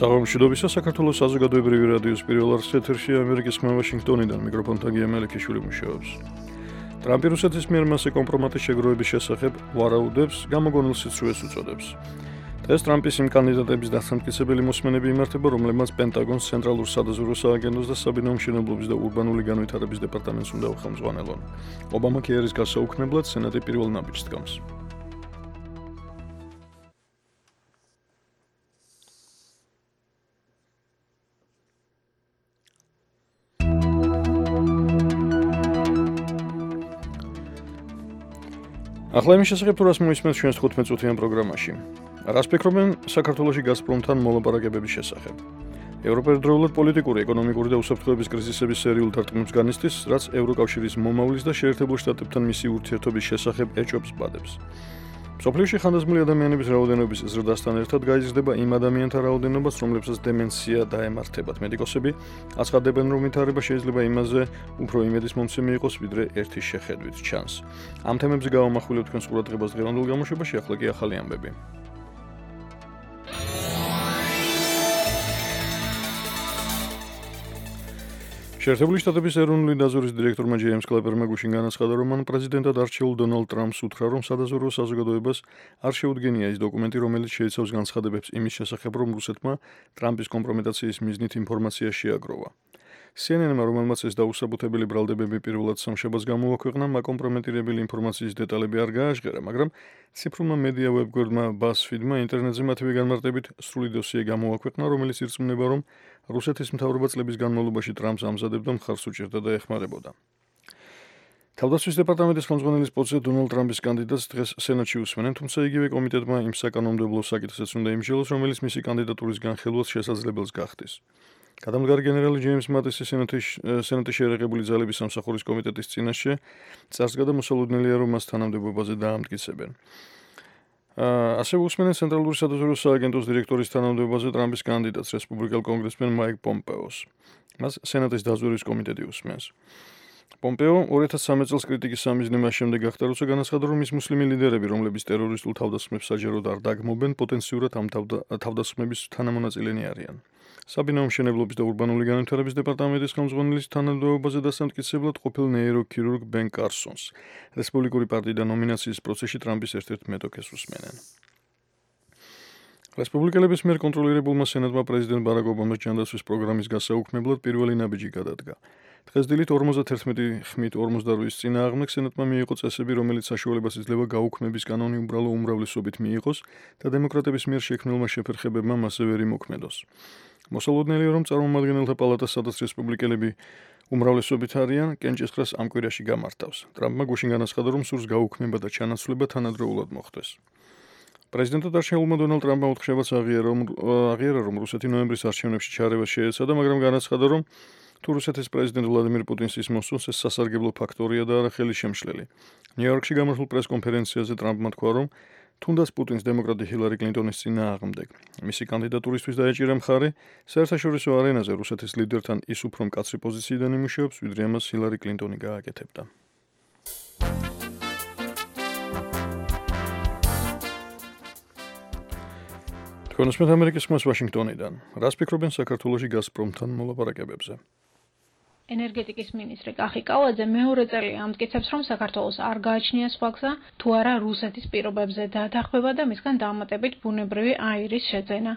საღამოშიდობისა საქართველოს საზოგადოებრივი რადიოს პირველ არხის ეთერში ამერიკის ხმა ვაშინგტონიდან მიკროფონთან გიამელექიშვილი მუშაობს. ტრამპი რუსეთის მიერ მასზე კომპრომატის შეგროვების შესახებ ვარაუდებს, გამოგონილ სიცრუეს უწოდებს. დღეს ტრამპის იმ კანდიდატების დასამტკიცებელი მოსმენები იმართება, რომლებმაც პენტაგონს, ცენტრალურ სადაზვერვო სააგენტოს და საბინაო მშენებლობის და ურბანული განვითარების დეპარტამენტს უნდა უხელმძღვანელონ. ობამა კი არის გასაუქმებლად სენატი პირველ ნაბიჯს დგამს. ახლა იმის შესახებ თუ რას მოისმენთ ჩვენს 15-წუთიან პროგრამაში. რას ფიქრობენ საქართველოში გაზპრომთან მოლაპარაკებების შესახებ? ევროპა ერთდროულად პოლიტიკური, ეკონომიკური და უსაფრთხოების კრიზისების სერიულ დარტყმებს განიცდის, რაც ევროკავშირის მომავლის და შეერთებულ შტატებთან მისი ურთიერთობის შესახებ ეჭვებს ბადებს. მსოფლიოში ხანდაზმული ადამიანების რაოდენობის ზრდასთან ერთად გაიზრდება იმ ადამიანთა რაოდენობაც, რომლებსაც დემენცია დაემართებათ. მედიკოსები აცხადებენ, რომ ვითარება შეიძლება იმაზე უფრო იმედის მომცემი იყოს, ვიდრე ერთი შეხედვით ჩანს. ამ თემებზე გავამახვილებ თქვენს ყურადღებას დღევანდელ გამოშვებაში, ახლა კი ახალი ამბები. შეერთებული შტატების ეროვნული დაზვერვის დირექტორმა ჯეიმს კლეპერმა გუშინ განაცხადა, რომ მან პრეზიდენტად არჩეულ დონალდ ტრამპს უთხრა, რომ სადაზვერვო საზოგადოებას არ შეუდგენია ის დოკუმენტი, რომელიც შეიცავს განცხადებებს იმის შესახებ, რომ რუსეთმა ტრამპის კომპრომეტაციის მიზნით ინფორმაცია შეაგროვა. CNN-მა, რომელმაც ეს დაუსაბუთებელი ბრალდებები პირველად სამშაბათს გამოაქვეყნა, მაკომპრომეტირებელი ინფორმაციის დეტალები არ გააჟღერა, მაგრამ ციფრულმა მედია ვებგვერდმა BuzzFeed-მა ინტერნეტზე მათივე განმარტებით სრული დოსიე გამოაქვეყნა, რომელიც ირწმუნება, რომ რუსეთის მთავრობა წლების განმავლობაში ტრამპს ამზადებდა, მხარს უჭერდა და ეხმარებოდა. თავდაცვის დეპარტამენტის ხელმძღვანელის პოსტზე დონალდ ტრამპის კანდიდატს დღეს სენატში უსმენენ, თუმცა იგივე კომიტეტმა იმ საკანონმდებლო საკითხსაც უნდა იმსჯელოს, რომელიც მისი კანდიდატურის განხილვას შესაძლებელს გახდის. გადამდგარი გენერალი ჯეიმს მატისი სენატის შეერაღებული ძალების სამსახურის კომიტეტის წინაშე წარსდგა და მოსალოდნელია, რომ მას თანამდებობაზე დაამტკიცებენ. ასევე უსმენენ ცენტრალური სადაზვერვო სააგენტოს დირექტორის თანამდებობაზე ტრამპის კანდიდატს, რესპუბლიკელ კონგრესმენ მაიკ პომპეოს. მას სენატის დაზვერვის კომიტეტი უსმენს. პომპეო 2013 წელს კრიტიკის სამიზნე მას შემდეგ გახდა, როცა განაცხადა, რომ ის მუსლიმი ლიდერები, რომლებიც ტერორისტულ თავდასხმებს საჯაროდ არ დაგმობენ, პოტენციურად ამ თავდასხმების თანამონაწილენი არიან. საბინაო მშენებლობის და ურბანული განვითარების დეპარტამენტის ხელმძღვანელის თანამდებობაზე დასამტკიცებლად ყოფილ ნეიროქირურგ ბენ კარსონს. რესპუბლიკური პარტიიდან ნომინაციის პროცესში ტრამპის ერთ-ერთ მეტოქეს უსმენენ. რესპუბლიკელების მიერ კონტროლირებულმა სენატმა პრეზიდენტ ბარაკ ობამას ჯანდაცვის პროგრამის გასაუქმებლად პირველი ნაბიჯი გადადგა. დღეს დილით 51 ხმით 48-ის წინააღმდეგ სენატმა მიიღო წესები, რომელიც საშუალებას იძლევა გაუქმების კანონი უბრალო უმრავლესობით მიიღოს და დემოკრატების მიერ შექმნილმა შეფერხებებმა მასზე ვერ იმოქმედოს. მოსალოდნელია, რომ წარმომადგენელთა პალატას, სადაც რესპუბლიკელები უმრავლესობით არიან, კენჭისყრას ამ კვირაში გამართავს. ტრამპმა გუშინ განაცხადა, რომ სურს გაუქმება და ჩანაცვლება თანადროულად მოხდეს. პრეზიდენტად არჩეულმა დონალდ ტრამპმა უთხრებაც აღიარა, რომ რუსეთი ნოემბრის არჩევნებში ჩარევას შეეცადა, მაგრამ განაცხადა, რომ თუ რუსეთის პრეზიდენტ ვლადიმირ პუტინს ის მოსწონს, ეს სასარგებლო ფაქტორია და არა ხელისშემშლელი. ნიუ-იორკში გამართულ პრეს-კონფერენციაზე ტრამპმა თქვა, რომ თუნდაც პუტინს დემოკრატი ჰილარი კლინტონის წინააღმდეგ მისი კანდიდატურისთვის დაეჭირა მხარი, საერთაშორისო არენაზე რუსეთის ლიდერთან ის უფრო მკაცრი პოზიციიდან იმუშავებს, ვიდრე ამას ჰილარი კლინტონი გააკეთებდა. თქვენ უსმენთ ამერიკის ხმას ვაშინგტონიდან. რას ფიქრობენ საქართველოში გაზპრომთან მოლაპარაკებებზე? ენერგეტიკის მინისტრი კახი კალაძე მეორე წელია ამტკიცებს, რომ საქართველოს არ გააჩნია სხვა გზა, თუ არა რუსეთის პირობებზე დათანხმება და მისგან დამატებით ბუნებრივი აირის შეძენა.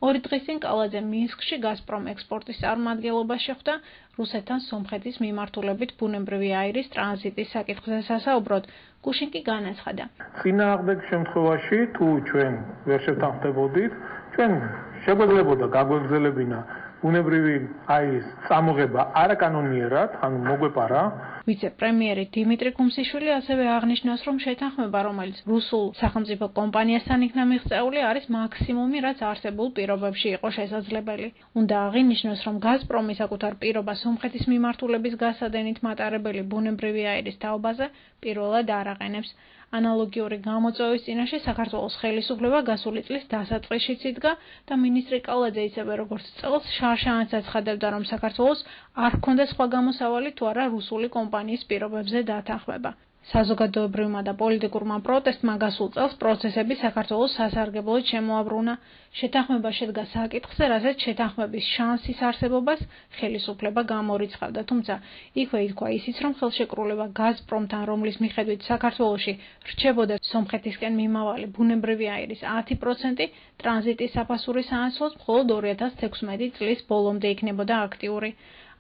2 დღის წინ კალაძე მინსკში გაზპრომ ექსპორტის წარმომადგენლობას შეხვდა, რუსეთთან სომხეთის მიმართულებით ბუნებრივი აირის ტრანზიტის საკითხზე სასაუბროდ. გუშინ კი განაცხადა. წინააღმდეგ შემთხვევაში, თუ ჩვენ ვერ შევთანხმდებოდით, ჩვენ შეგვეძლებოდა გაგვეგზელებინა ბუნებრივი აირის წამოღება არაკანონიერად, ანუ მოგვეპარა. ვიცე-პრემიერი დიმიტრი კუმსიშვილი ასევე აღნიშნავს, რომ შეთანხმება, რომელიც რუსულ სახელმწიფო კომპანიასთან იქნა მიღწეული, არის მაქსიმუმი, რაც არსებულ პირობებში იყო შესაძლებელი. უნდა აღინიშნოს, რომ გაზპრომი საკუთარ პირობას სომხეთის მიმართულების გასადენით მატარებელი ბუნებრივი აირის თაობაზე პირველად არ აყენებს. ანალოგიური გამოწვევის წინაშე საქართველოს ხელისუფლება გასული წლის დასაწყისშიც იდგა და მინისტრი კალაძე ისევე როგორც წელს შარშანაც აცხადებდა, რომ საქართველოს არ ჰქონდა სხვა გამოსავალი თუ არა რუსული კომპანიის პირობებზე დათანხმება. საზოგადოებრივმა და პოლიტიკურმა პროტესტმა გასულ წელს პროცესები საქართველოს სასარგებლოდ შემოაბრუნა. შეთანხმება შედგა საკითხზე, რასაც შეთანხმების შანსის არსებობას ხელისუფლება გამორიცხავდა, თუმცა იქვე ითქვა ისიც, რომ ხელშეკრულება გაზპრომთან, რომლის მიხედვით საქართველოში რჩებოდა სომხეთისკენ მიმავალი ბუნებრივი აირის 10%, ტრანზიტის საფასურის სანაცვლოდ მხოლოდ 2016 წლის ბოლომდე იქნებოდა აქტიური.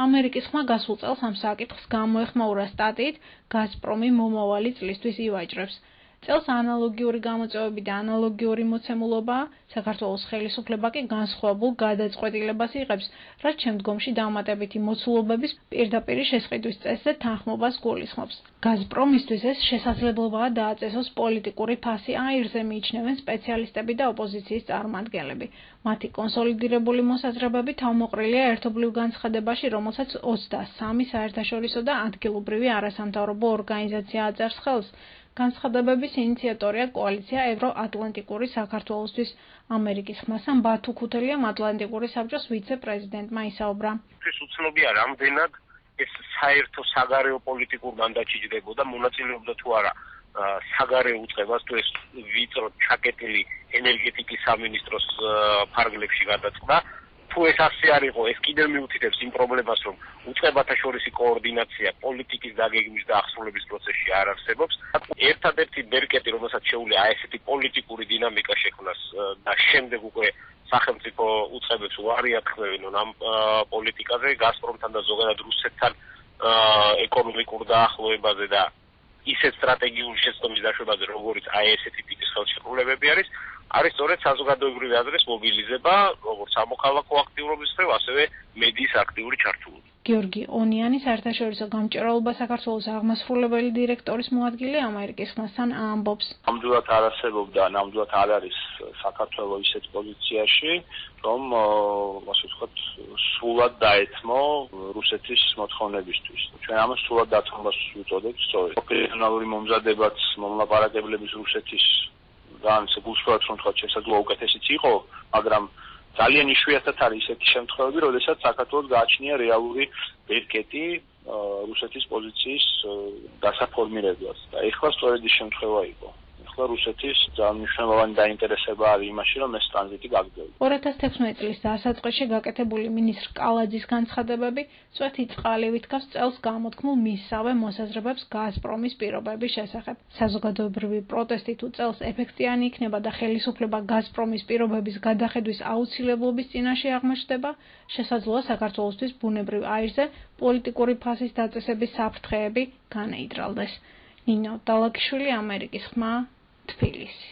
ამერიკის ხმა გასულ წელს ამ საკითხს გამოეხმაურა სტატიით გაზპრომი მომავალი წლისთვის ივაჭრებს. წელს ანალოგიური გამოწვევები და ანალოგიური მოცემულობაა, საქართველოს ხელისუფლება კი განსხვავებულ გადაწყვეტილებას იღებს, რაც შემდგომში დამატებითი მოცულობების პირდაპირ შესყიდვის წესზე თანხმობას გულისხმობს. გაზპრომისთვის ეს შესაძლებლობაა დააწესოს პოლიტიკური ფასი აირზე, მიიჩნევენ სპეციალისტები და ოპოზიციის წარმომადგენლები. მათი კონსოლიდირებული მოსაზრებები თავმოყრილია ერთობლივ განცხადებაში, რომელსაც 23 საერთაშორისო და ადგილობრივი არასამთავრობო ორგანიზაცია აწერს ხელს. განცხადებების ინიციატორია კოალიცია ევროატლანტიკური საქართველოსთვის. ამერიკის ხმასთან ბათუ ქუთელიამ ატლანტიკური საბჭოს ვიცე-პრეზიდენტმა ისაუბრა. ეს უცნობია რამდენად ეს საერთო საგარეო პოლიტიკურ მანდატში ჯდებოდა, მონაწილეობდა თუ არა საგარეო უწყებას, თუ ეს ვიწრო ჩაკეტილი ენერგეტიკის სამინისტროს ფარგლებში გადაწყდა. თუ ეს ასე არ იყო, ეს კიდევ მიუთითებს იმ პრობლემას, რომ უწყებათა შორისი კოორდინაცია პოლიტიკის დაგეგმვის და აღსრულების პროცესში არ არსებობს. ერთადერთი ბერკეტი, რომელსაც შეუძლია ესეთი პოლიტიკური დინამიკა შექმნას და შემდეგ უკვე სახელმწიფო უწყებებს უარი ათქმევინონ ამ პოლიტიკაზე, გაზპრომთან და ზოგადად რუსეთთან ეკონომიკურ დაახლოებაზე და ისეთ სტრატეგიული შეცდომის დაშვებაზე, როგორც ესეთი ტიპის ხელშეკრულებები არის სწორედ საზოგადოებრივი აზრის მობილიზება, როგორც სამოქალაქო აქტიურობის მხრივ, ასევე მედიის აქტიური ჩართულობა. გიორგი ონიანი საერთაშორისო გამჭირვალობა საქართველოს აღმასრულებელი დირექტორის მოადგილე ამერიკის ხმასთან ამბობს. ნამდვილად არ არსებობდა, ნამდვილად არ არის საქართველოს ისეთ პოზიციაში, რომ ასე ვთქვათ, სულად დაეთმო რუსეთის მოთხოვნებისთვის. ჩვენ ამას სულად დათმობას ვუწოდებთ სწორედ. ოპერაციონალური მომზადებაც მომლაპარაკებლების რუსეთის განსაკუთრებით გულსხვათ რომ თქვა შესაძლოა უკეთესიც იყო, მაგრამ ძალიან იშვიათად არის ესეთი შემთხვევები, როდესაც საქართველოს გააჩნია რეალური ბერკეტი რუსეთის პოზიციის დასაფორმირებლად. და ეხლა სწორედ ის შემთხვევა იყო. ეხლა რუსეთის ძალიან მნიშვნელოვანი დაინტერესება არის იმაში, რომ ეს ტრანზიტი გაგრძელდეს. 2016 წლის დასაწყისში გაკეთებული მინისტრ კალაძის განცხადებები წვეთი წყალივით გავს წელს გამოთქმულ მისსავე მოსაზრებებს გაზპრომის პირობების შესახებ. საზოგადოებრივი პროტესტი თუ წელს ეფექტიანი იქნება და ხელისუფლება გაზპრომის პირობების გადახედვის აუცილებლობის წინაშე აღმოჩნდება, შესაძლოა საქართველოსთვის ბუნებრივ აირზე პოლიტიკური ფასის დაწესების საფრთხეები განეიდრალდეს. ნინო დალაკიშვილი, ამერიკის ხმა, თბილისი.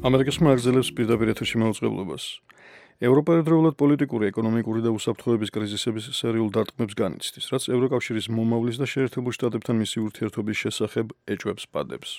ამერიკის ხმა აგრძელებს პირდაპირ ეთერში მაუწყებლობას. ევროპა ერთდროულად პოლიტიკური, ეკონომიკური და უსაფრთხოების კრიზისების სერიულ დარტყმებს განიცდის, რაც ევროკავშირის მომავლის და შეერთებულ შტატებთან მისი ურთიერთობის შესახებ ეჭვებს პადებს.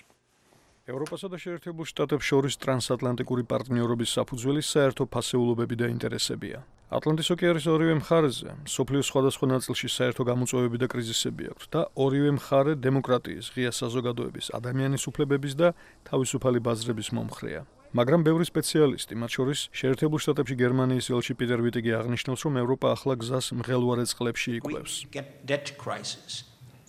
ევროპასა და შეერთებულ შტატებს შორის ტრანსატლანტიკური პარტნიორობის საფუძველი საერთო ფასეულობები და ინტერესებია. ატლანტის ოკეანის ორივე მხარეზე სოფლიოს სხვადასხვა ნაწილში საერთო გამოწვევები და კრიზისები აქვთ და ორივე მხარე დემოკრატიის, ღია საზოგადოების, ადამიანის უფლებების და თავისუფალი ბაზრების მომხრეა. მაგრამ ბევრი სპეციალისტი, მათ შორის შეერთებულ შტატებში გერმანიის ელჩი პიტერ ვიტიგი აღნიშნავს, რომ ევროპა ახლა გზას მღელვარე წყლებში იკვლევს.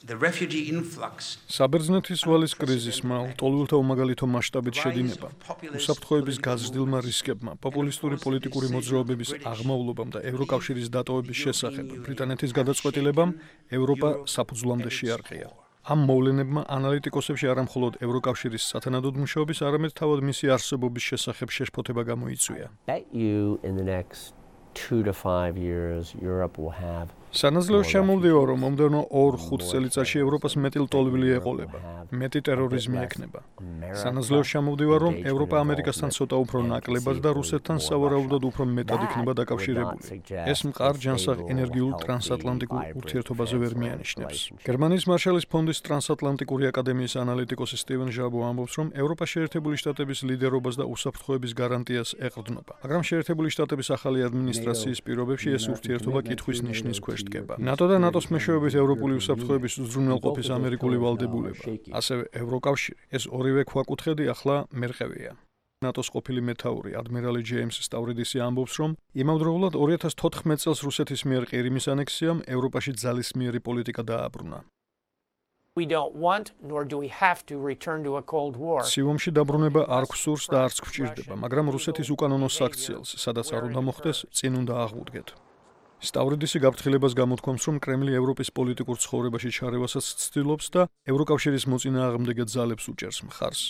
საბერძნეთის ვალის კრიზისმა, ლტოლვილთა უმაგალითო მასშტაბით შედინება, უსაფრთხოების გაზრდილმა რისკებმა, პოპულისტური პოლიტიკური მოძრაობების აღმავლობამ და ევროკავშირის დატოვების შესახებ ბრიტანეთის გადაწყვეტილებამ ევროპა საფუძვლამდე შეარყია. ამ მოვლენებმა ანალიტიკოსებში არა მხოლოდ ევროკავშირის სათანადოდ მუშაობის, არამედ თავად მისი არსებობის შესახებ შეშფოთება გამოიწვია. სანაცვლოდ შემოვდივარ, რომ მომდევნო 2-5 წელიწადში ევროპას მეტი ლტოლვილი ეყოლება, მეტი ტერორიზმი ექნება. სანაცვლოდ შემოვდივარ, რომ ევროპა ამერიკასთან ცოტა უფრო ნაკლებად და რუსეთთან სავარაუდოდ უფრო მეტად იქნება დაკავშირებული. ეს მყარ ჯანსაღ ენერგიულ ტრანსატლანტიკურ ურთიერთობაზე ვერ მიანიშნებს. გერმანიის მარშალის ფონდის ტრანსატლანტიკური აკადემიის ანალიტიკოსი სტივენ ჟაბო ამბობს, რომ ევროპა შეერთებული შტატების ლიდერობას და უსაფრთხოების გარანტიას ეყრდნობა, მაგრამ შეერთებული შტატების ახალი ადმინისტრაციის პირობებში ეს ურთიერთობა კითხვის ნიშნის ქვეშ დგება. ნატო და ნატოს მეშვეობით ევროპული უსაფრთხოების უზრუნველყოფის ამერიკული ვალდებულება, ასევე ევროკავშირი, ეს ორივე ქვაკუთხედი ახლა მერყევია. ნატოს ყოფილი მეთაური ადმირალი ჯეიმს სტავრიდისი ამბობს, რომ იმავდროულად 2014 წელს რუსეთის მიერ ყირიმის ანექსიამ ევროპაში ძალისმიერი პოლიტიკა დააბრუნა. We don't want, nor do we have to return to a Cold War. სიომში დაბრუნება არ გვსურს და არც გვჭირდება, მაგრამ რუსეთის უკანონო საქციელს, სადაც არ უნდა მოხდეს, წინ უნდა აღვუდგეთ. სტავრიდისი გაფრთხილებას გამოთქვამს, რომ კრემლი ევროპის პოლიტიკურ ცხოვრებაში ჩარევასაც ცდილობს და ევროკავშირის მოწინააღმდეგე ძალებს უჭერს მხარს.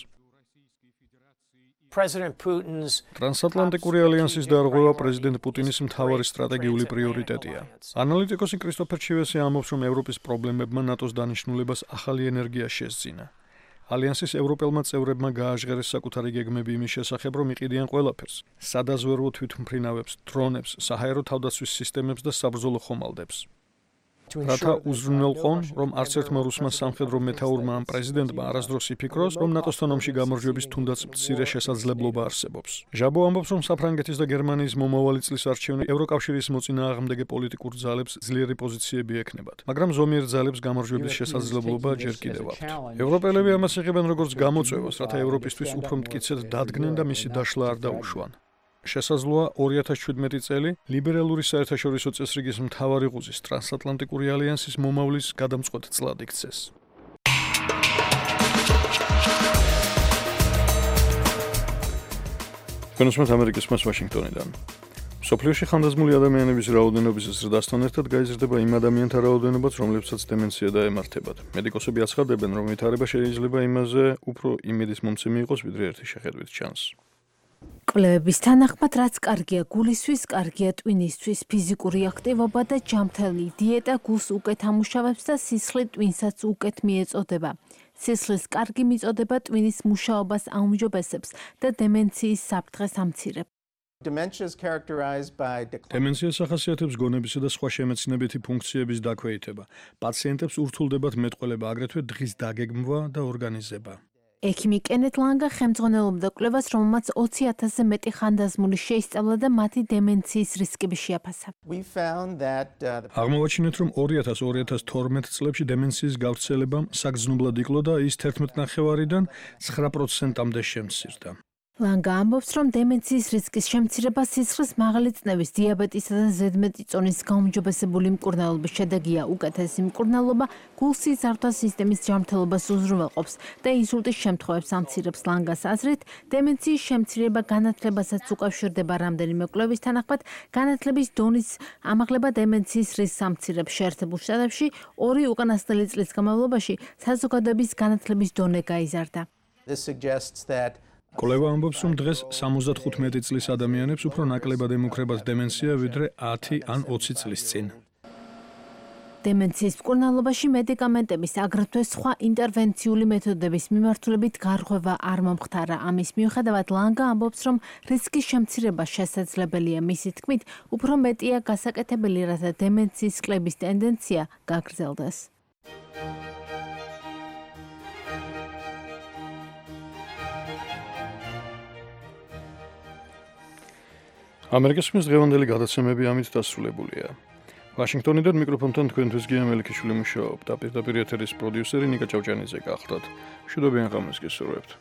President Putin's ტრანსატლანტიკური ალიანსის დარღვევა პრეზიდენტ პუტინის მთავარი სტრატეგიული პრიორიტეტია. ანალიტიკოსი კრისტოფერ ჩივესი ამბობს, რომ ევროპის პრობლემებმა ნატოს დანიშნულებას ახალი ენერგია შესძინა. ალიანსის ევროპელმა წევრებმა გააჟღერეს საკუთარი გეგმები იმის შესახებ, რომ იყიდიან ყველაფერს: სადაზვერვო თვითმფრინავებს, დრონებს, საჰაერო თავდაცვის სისტემებს და საბრძოლო ხომალდებს. რათა უზრუნველყონ, რომ არც ერთმა რუსმა სამხედრო მეთაურმა ან პრეზიდენტმა არასდროს იფიქროს, რომ ნატოსთან ომში გამარჯვების თუნდაც მცირე შესაძლებლობა არსებობს. ჟაბო ამბობს, რომ საფრანგეთის და გერმანიის მომავალი წლის არჩევანი ევროკავშირის მოწინააღმდეგე პოლიტიკურ ძალებს ძლიერი პოზიციები ექნებათ, მაგრამ ზომიერ ძალებს გამარჯვების შესაძლებლობა ჯერ კიდევ აქვთ. ევროპელები ამას იღებენ როგორც გამოწვევას, რათა ევროპისთვის უფრო მტკიცედ დადგნენ და მისი დაშლა არ დაუშვან. შესაძლოა 2017 წელი ლიბერალური საერთაშორისო წესრიგის მთავარი ღუზის ტრანსატლანტიკური ალიანსის მომავლის გადამწყვეტ წლად იქცეს. კონსუმატ ამერიკის მას ვაშინგტონიდან. სოფლიოში ხანდაზმული ადამიანების რაოდენობის ზრდასთან ერთად გაიზრდება იმ ადამიანთა რაოდენობაც, რომლებსაც დემენცია დაემართებათ. მედიკოსები აცხადებენ, რომ ვითარება შეიძლება იმაზე უფრო იმედის მომცემი იყოს, ვიდრე ერთი შეხედვით ჩანს. კვლევების თანახმად, რაც კარგია გულისთვის, კარგია ტვინისთვის, ფიზიკური აქტივობა და ჯანმრთელი დიეტა გულს უკეთ ამუშავებს და სისხლი ტვინსაც უკეთ მიეწოდება. სისხლის კარგი მიწოდება ტვინის მუშაობას აუმჯობესებს და დემენციის საფრთხეს ამცირებს. დემენციას ახასიათებს გონებისა და სხვა შემეცნებითი ფუნქციების დაქვეითება. პაციენტებს ურთულდებათ მეტყველება, აგრეთვე დღის დაგეგმვა და ორგანიზება. ექიმი კენეთ ლანგა ხელმძღვანელობდა კვლევას, რომელმაც 20,000-ზე მეტი ხანდაზმული შეისწავლა და მათი დემენციის რისკები შეაფასა. აღმოვაჩინეთ, რომ 2000-2012 წლებში დემენციის გავრცელებამ საგრძნობლად იკლო და ის 11%-დან 9%-მდე შემცირდა. ლანგა ამბობს, რომ დემენციის რისკის შემცირება სისხლის მაღალი წნევის, დიაბეტისა და ზედმეტი წონის გაუმჯობესებული მკურნალობის შედეგია. უკეთესი მკურნალობა გულ-სისხლძარღვთა სისტემის ჯანმრთელობას უზრუნველყოფს და ინსულტის შემთხვევებს ამცირებს. ლანგას აზრით, დემენციის შემცირება განათლებასაც უკავშირდება. რამდენიმე კვლევის თანახმად, განათლების დონის ამაღლება დემენციის რისკს ამცირებს. შეერთებულ შტატებში 2 უკანასკნელი წლის განმავლობაში საზოგადოების განათლების დონე გაიზარდა. კვლევა ამბობს, რომ დღეს 75 წლის ადამიანებს უფრო ნაკლებად ემუქრებათ დემენცია, ვიდრე 10 ან 20 წლის წინ. დემენციის მკურნალობაში მედიკამენტების, აგრეთვე სხვა ინტერვენციული მეთოდების მიმართულებით გარღვევა არ მომხდარა. ამის მიუხედავად, ლანგა ამბობს, რომ რისკის შემცირება შესაძლებელია. მისი თქმით, უფრო მეტია გასაკეთებელი, რათა დემენციის კლების ტენდენცია გაგრძელდეს. ამერიკის მის დღევანდელი გადაცემები ამით დასრულებულია. ვაშინგტონიდან მიკროფონთან თქვენთვის გია მელიქიშვილი მუშაობდა. პირდაპირ ეთერის პროდიუსერი ნიკა ჭავჭანიძე გახლდათ. მშვიდობიან ღამეს გესურვებთ.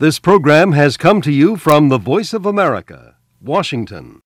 This program has come to you from the Voice of America, Washington.